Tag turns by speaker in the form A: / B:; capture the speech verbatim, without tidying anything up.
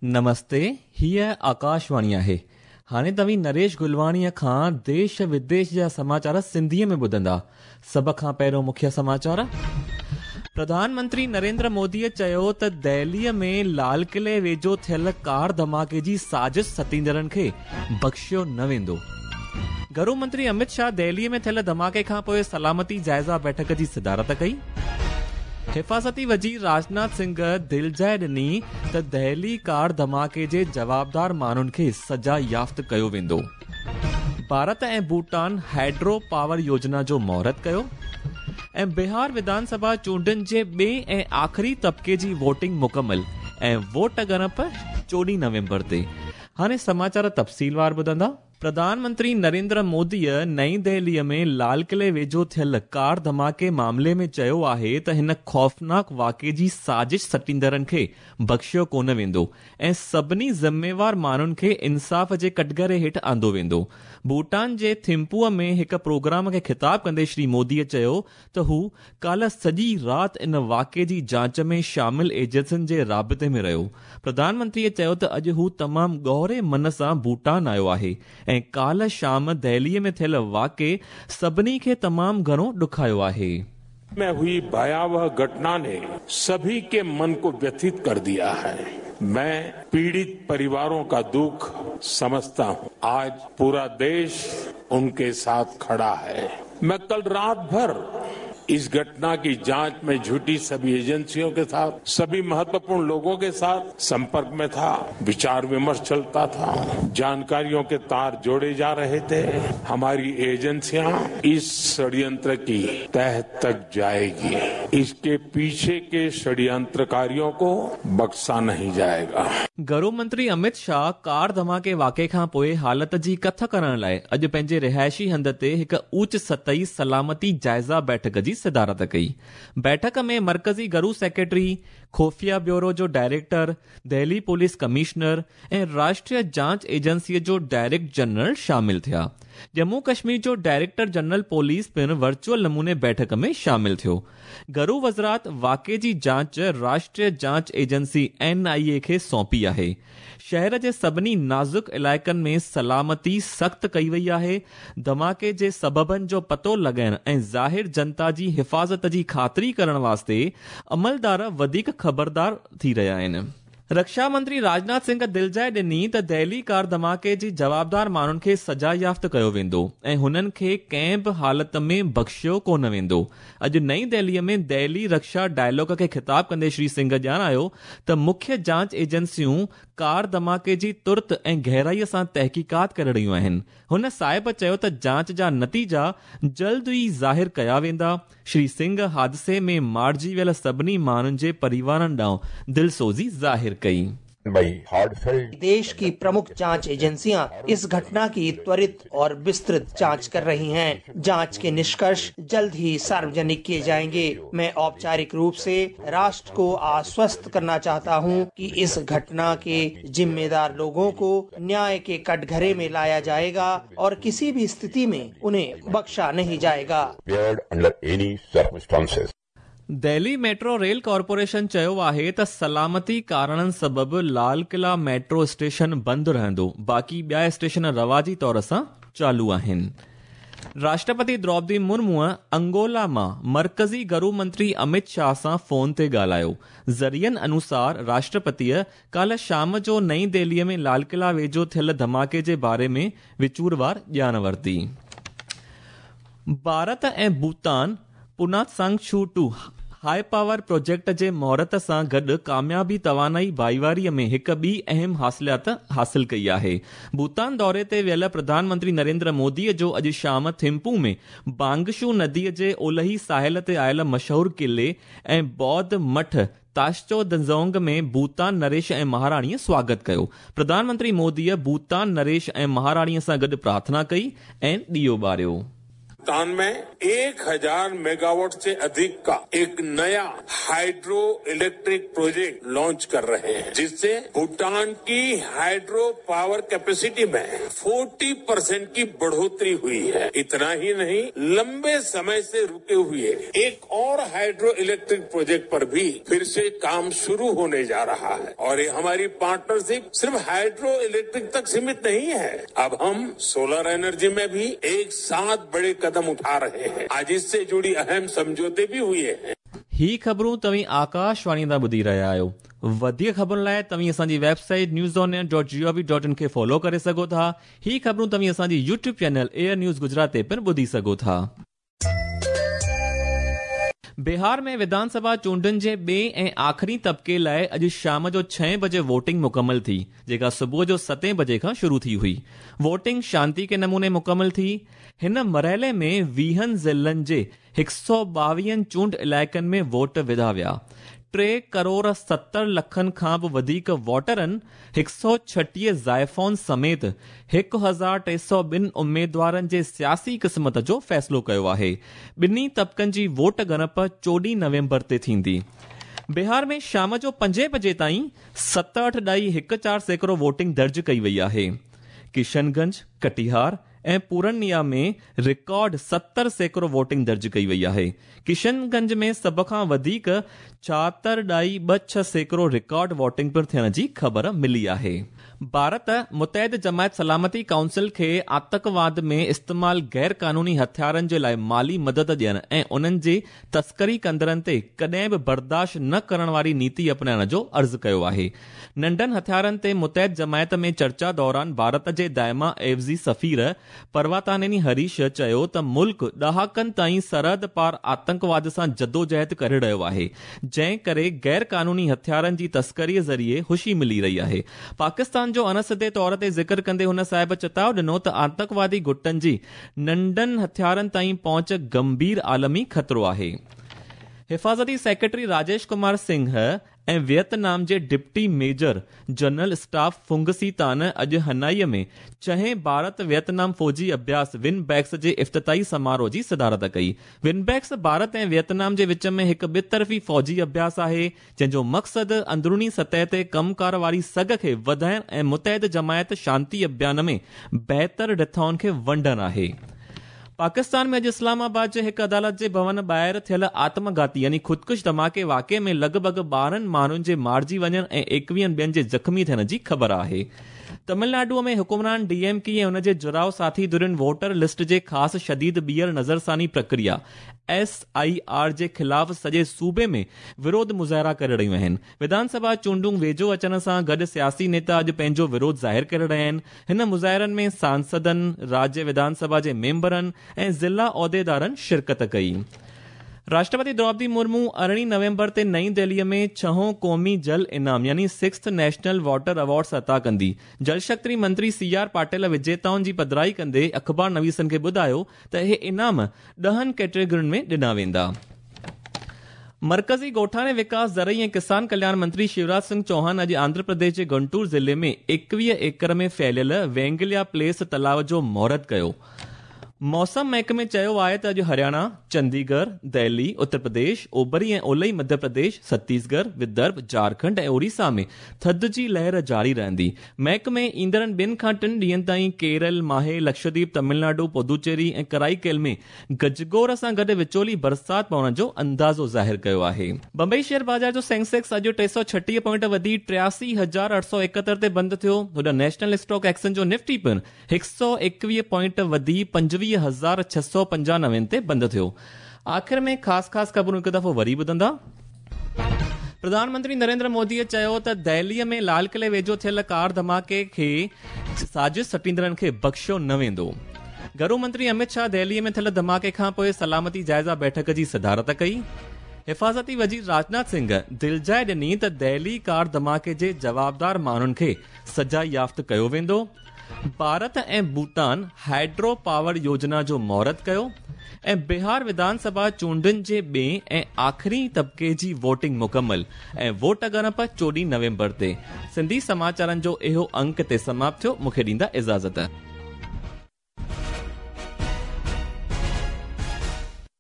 A: नमस्ते, हीअ आकाशवाणी आहे। हाणे तव्हीं नरेश गुलवाणीअ खां देश विदेश जा समाचार सिंधीअ में ॿुधंदा। सभ खां पहिरियों मुख्य समाचार। प्रधानमंत्री नरेंद्र मोदीअ चयो त दिल्लीअ में लाल किले वेझो थियल कार धमाके जी साज़िश सतींदड़नि खे बख़्शियो न वेंदो। घरू मंत्री अमित शाह दिल्लीअ में थियल धमाके खां पोइ सलामती जाइज़ा बैठक जी सदारत कई। हिफाज़ती वज़ीर राजनाथ सिंह दिलजाइ ॾिनी त दिल्ली कार धमाके जे जवाबदार माण्हुनि खे सज़ा याफ़्त कयो वेंदो। भारत ऐं भूटान हाइड्रो पावर योजना जो मुहूर्त कयो। ऐं बिहार विधानसभा चूंडनि जे ॿिए ऐं आख़िरी तबिके जी वोटिंग मुकमल ऐं वोट ॻणप चोॾहं नवंबर ते। हाणे समाचार तफ़सीलवार ॿुधंदा। प्रधानमंत्री नरेंद्र मोदीअ नई दिल्लीअ में लाल किले वेझो थियल कार धमाके मामले में चयो आहे त हिन ख़ौफ़नाक वाक़े जी साज़िश सटींदड़नि खे बख़्शियो कोन वेंदो ऐं सभिनी ज़िम्मेवार माण्हुनि खे इंसाफ़ जे कटघरे हेठि आंदो वेंदो। भूटान जे थिम्पूअ में हिकु प्रोग्राम खे ख़िताब कंदे श्री मोदीअ चयो त हू काल्ह सॼी राति इन वाक़े जी जांच में शामिल एजेंसियुनि जे राबिते में रहियो। प्रधानमंत्रीअ चयो त अॼु हू तमामु ॻोहरे मन सां भूटान आयो आहे ऐं काल्ह शाम दिल्लीअ में थियल वाक़े सभिनी खे तमामु घणो ॾुखायो आहे।
B: में हुई भयावह घटना ने सभी के मन को व्यथित कर दिया है। मैं पीड़ित परिवारों का दुख समझता हूं। आज पूरा देश उनके साथ खड़ा है। मैं कल रात भर इस घटना की जांच में जुटी सभी एजेंसियों के साथ, सभी महत्वपूर्ण लोगों के साथ संपर्क में था। विचार विमर्श चलता था, जानकारियों के तार जोड़े जा रहे थे। हमारी एजेंसियां इस षड्यंत्र की तह तक जाएगी। इसके पीछे के षड्यंत्रकारियों को बख्शा नहीं जाएगा।
A: घरू मंत्री अमित शाह कार धमाके वाक़े खां पोइ हालत जी कथ करण लाइ अॼु पंहिंजे रिहाइशी हंध ते हिकु ऊच सतही सलामती जाइज़ा बैठक जी सदारत कई। बैठक में मरकज़ी घरू सेक्रेटरी, खुफिया ब्यूरो जो डायरेक्टर, दिल्ली पुलिस कमिश्नर ऐं राष्ट्रीय जांच एजेंसीअ जो डायरेक्टर जनरल शामिल थिया। जम्मू कश्मीर जो डायरेक्टर जनरल पुलिस पिणु वर्चुअल नमूने बैठक में शामिल थियो। घरू वज़ारत वाक़े जी जांच राष्ट्रीय जांच एजेंसी एन आई ए खे सौंपी आहे। शहर जे सभिनी नाज़ुक इलाइक़नि में सलामती सख़्त कई वई आहे। धमाके जे सबबनि जो पतो लॻाइण ऐं ज़ाहिर जनता जी हिफाज़त जी ख़ातिरी करण वास्ते अमलदार वधीक ख़बरदार थी रहिया आहिनि। रक्षा मंत्री राजनाथ सिंह दिलजाइ ॾिनी त दिल्ली कार धमाके जी जवाबदार माण्हुनि खे सज़ा याफ़्त कयो वेंदो ऐं हुननि खे कंहिं बि हालत में बख़्शियो कोन वेंदो। अॼु नई दिल्लीअ में दिल्ली रक्षा डायलॉग खे ख़िताब कंदे श्री सिंह ॼाणायो त मुख्य जांच एजेंसियूं कार धमाके जी तुर्त ऐं गहराईअ सां तहक़ीक़ात करे रहियूं आहिनि। हुन साहिब चयो त जांच जा नतीजा जल्द ई ज़ाहिर कया वेंदा। श्री सिंह हादसे में मारिजी वियल सभिनी माण्हुनि जे परिवारनि ॾांहुं दिलसोज़ी ज़ाहिर कई।
C: देश की प्रमुख जांच एजेंसियां इस घटना की त्वरित और विस्तृत जांच कर रही हैं। जांच के निष्कर्ष जल्द ही सार्वजनिक किए जाएंगे। मैं औपचारिक रूप से राष्ट्र को आश्वस्त करना चाहता हूं कि इस घटना के जिम्मेदार लोगों को न्याय के कटघरे में लाया जाएगा और किसी भी स्थिति में उन्हें बख्शा नहीं जाएगा।
A: दिल्ली मेट्रो रेल कॉर्पोरेशन चयो आहे त सलामती कारणनि सबबि लाल किला मेट्रो स्टेशन बंदि रहंदो, बाक़ी ॿिया स्टेशन रवाजी तौर सां चालू आहिनि। राष्ट्रपति द्रौपदी मुर्मूअ अंगोला मां मरकज़ी घरू मंत्री अमित शाह सां फ़ोन ते ॻाल्हायो। ज़रियनि अनुसार राष्ट्रपतीअ काल्ह शाम जो नई दिल्लीअ में लाल किला वेझो थियल धमाके जे बारे में विचूरवार ॼाण वरिती। भारत ऐं Bhutan Punatsangchhu two high power project जे मुहूर्त सां गॾु कामयाबी तवानाई भाईवारीअ में हिकु ॿी अहम हासिलात हासिल कई आहे। भूटान दौरे ते वियल प्रधानमंत्री नरेंद्र मोदीअ जो अॼु शाम थिम्पू में बांगशू नदीअ जे ओलही साहिल ते आयल मशहूर किले ऐं बौद्ध मठ ताशचो दंजोंग में भूटान नरेश ऐं महाराणीअ स्वागत कयो। प्रधानमंत्री मोदीअ भूटान नरेश ऐं महाराणीअ सां गॾु प्रार्थना कई ऐं ॾियो ॿारियो।
B: भूटान में एक हजार मेगावाट से अधिक का एक नया हाइड्रो इलेक्ट्रिक प्रोजेक्ट लॉन्च कर रहे हैं, जिससे भूटान की हाइड्रो पावर कैपेसिटी में चालीस परसेंट की बढ़ोतरी हुई है। इतना ही नहीं, लंबे समय से रुके हुए एक और हाइड्रो इलेक्ट्रिक प्रोजेक्ट पर भी फिर से काम शुरू होने जा रहा है। और ये हमारी पार्टनरशिप सिर्फ हाइड्रो इलेक्ट्रिक तक सीमित नहीं है, अब हम सोलर एनर्जी में भी एक साथ बड़े कदम उठा रहे हैं। आज इससे जुड़ी अहम समझौते भी हुए हैं।
A: ही ख़बरूं तव्हीं आकाशवाणी तां ॿुधी रहिया आहियो। वधीक ख़बरुनि लाइ तव्हीं असांजी website news on air dot G O V dot in खे फॉलो करे सघो था। ही ख़बरूं तव्हीं असांजी YouTube channel Air News Gujarat ते पिणु ॿुधी सघो था। बिहार में विधानसभा चूंडुनि जे ॿिए ऐं आख़िरी तबिके लाइ अॼु शाम जो छहें बजे वोटिंग मुकमल थी, जेका सुबुह जो सतें बजे खां शुरू थी हुई। वोटिंग शांति के नमूने मुकमल थी। हिन मरहले में वीहनि ज़िलनि जे हिकु सौ ॿावीहनि चूंड इलाइक़नि में वोट विधा विया। टे करोड़ सत्तर लखनि खां बि वधीक वोटरनि हिकु सौ छटीह ज़ाइफ़ाउनि समेत हिकु हज़ार टे सौ ॿिनि उमेदवारनि जे सियासी क़िस्मत जो फ़ैसिलो कयो आहे। ॿिन्ही तबकनि जी वोट ॻणप चोॾहं नवंबर ते थींदी। बिहार में शाम जो पंजे बजे ताईं सतहठि ॾाई हिकु चारि सैकड़ो वोटिंग दर्ज कई वई आहे। किशनगंज, कटिहार ऐं पूर्णिया में रिकॉर्ड सत्तर सैकड़ो वोटिंग दर्ज कई वई आहे। किशनगंज में सभ खां वधीक छाहतरि ॾाई ॿ छह सैकड़ो रिकॉर्ड वोटिंग पिणु थियण जी ख़बर मिली आहे। भारत मुतहद जमायत सलामती काउंसिल खे आतंकवाद में इस्तेमाल गैर कानूनी हथियारनि जे लाइ माली मदद ॾियण ऐं उन्हनि जी तस्करी कंदड़नि ते कॾहिं बि बर्दाश्त न करण वारी नीति अपनाइण जो अर्ज़ु कयो आहे। नंढनि हथियारनि ते मुतहद जमायत में चर्चा दौरान भारत जे दायमा एवज़ी सफ़ीर पर्वतानेनी हरीश चयो त मुल्क ॾहाकनि ताईं सरहद पार आतंकवाद सां जदोजहद करे रहियो आहे, जंहिं करे गैर कानूनी हथियारनि जी तस्करीअ ज़रिए ख़ुशी मिली रही आहे। पाकिस्तान जो अणसिधे तौर ते ज़िक्र कंदे हुन साहिब चेताव ॾिनो त आतंकवादी गुटनि जी नंढनि हथियारनि ताईं पहुंच गंभीर आलमी ख़तरो आहे। हिफाज़ती सेक्रेटरी राजेश कुमार सिंह ऐं वियतनाम जे deputy major general staff Phung Si Thanh अॼु हनाई में छहें भारत वियतनाम फौजी अभ्यास विनबैक्स जे इफ्तिताही समारोह जी सदारत कई। विनबैक्स भारत ऐं वियतनाम जे विच में हिकु ॿितरफ़ी फौजी अभ्यास आहे, जंहिंजो मक़सदु अंदरूनी सतह ते कमकार वारी सघ खे वधाइण ऐं मुतहद जमायत शांति अभियान में बहितर रिथाउनि खे वंडणु आहे। पाकिस्तान में अॼु इस्लामाबाद जे हिकु अदालत जे भवन ॿाहिरि थियल आत्मघाती यानी ख़ुदकुश धमाके वाक़े में लॻभॻि ॿारहं माण्हुनि जे मारिजी वञण ऐं एकवीहनि ॿियनि जे ज़ख़्मी थियण जी ख़बर आहे। तमिलनाडु में हुकुमरान डी एम के ऐं उन जे जुड़ाव साथी धुरियुनि वोटर लिस्ट जे ख़ासि शदीद ॿीहर नज़रसानी प्रक्रिया एस I R जे ख़िलाफ़ सॼे सूबे में विरोध मुज़ाहिरा करे रहियूं आहिनि। विधानसभा चूंडूं वेझो अचण सां गॾु सियासी नेता अॼु पंहिंजो विरोध ज़ाहिर करे रहिया आहिनि। हिन मुज़ाहिरनि में सांसदनि, राज्य विधानसभा जे मेंबरनि ऐं ज़िला ओहदेदारनि शिरकत कई। राष्ट्रपति द्रौपदी मुर्मू अरिड़हीं नवंबर ते नई दिल्लीअ में छहों क़ौमी जल इनाम यानी सिक्स्थ नेशनल वाटर अवॉर्ड्स अता कंदी। जल शक्ति मंत्री सी आर पाटिल विजेताउनि जी पधराई कंदे अख़बार नवीसनि खे ॿुधायो त इहे इनाम ॾहनि कैटेगरियुनि में ॾिना वेंदा। मरकज़ी ॻोठाणे विकास, ज़रई ऐं किसान कल्याण मंत्री शिवराज सिंह चौहान अॼु आंध्र प्रदेश जे गुंटूर ज़िले में एकवीह एकड़ में फैलियल वेंगलिया प्लेस तलाव जो मुहूर्त कयो। मौसम महकमे चयो आहे त अॼु हरियाणा, चंडीगढ़, दिल्ली, उत्तर प्रदेश, ओभरी ऐं ओलई मध्य प्रदेश, छत्तीसगढ़, विदर्भ, झारखंड ऐं ओडिशा में थधि जी लहर जारी रहंदी। महकमे ईंदड़नि ॿिनि खां टिनि ॾींहंनि ताईं केरल, माहे, लक्षद्वीप, तमिलनाडु, पुदुचेरी ऐं कराईकेल में गजगोर सां गॾु विचोली बरसाति पवण जो अंदाज़ो ज़ाहिर कयो आहे। बंबई शेयर बाज़ार जो सेंसेक्स अॼु टे सौ छटीह पॉइंट वधी टियासी हज़ार अठ सौ एकहतरि ते बंदि थियो। होॾां नेशनल स्टॉक एक्सचेंज जो निफ्टी पिणु हिकु सौ एकवीह पॉइंट वधी पंजवीह हज़ार छह सौ पंजानवे ते बंदि थियो। आख़िर में ख़ासि ख़ासि ख़बरूं हिकु दफ़ो वरी ॿुधंदा। प्रधानमंत्री नरेंद्र मोदीअ चयो त दिल्लीअ में लाल क़िले वेझो थियल कार धमाके खे साज़िश सटींदड़नि खे बख़्शियो न वेंदो। घरू मंत्री अमित शाह दिल्लीअ में थियल धमाके खां पोइ सलामती जाइज़ा बैठक जी सदारत कई। हिफाज़ती वज़ीर राजनाथ सिंह दिलजाइ ॾिनी त दिल्ली कार धमाके जे जवाबदार माण्हुनि खे सज़ा याफ़्त कयो वेंदो। भारत ऐं भूटान हाइड्रो पावर योजना जो मुहूर्त कयो ऐं बिहार विधानसभा चूंडुनि जे ॿिए ऐं आख़िरी तबिके जी वोटिंग मुकमल ऐं वोट ॻणप चोॾहं नवंबर ते। सिंधी समाचारनि जो इहो अंक ते समाप्त थियो। मूंखे ॾींदा इजाज़त।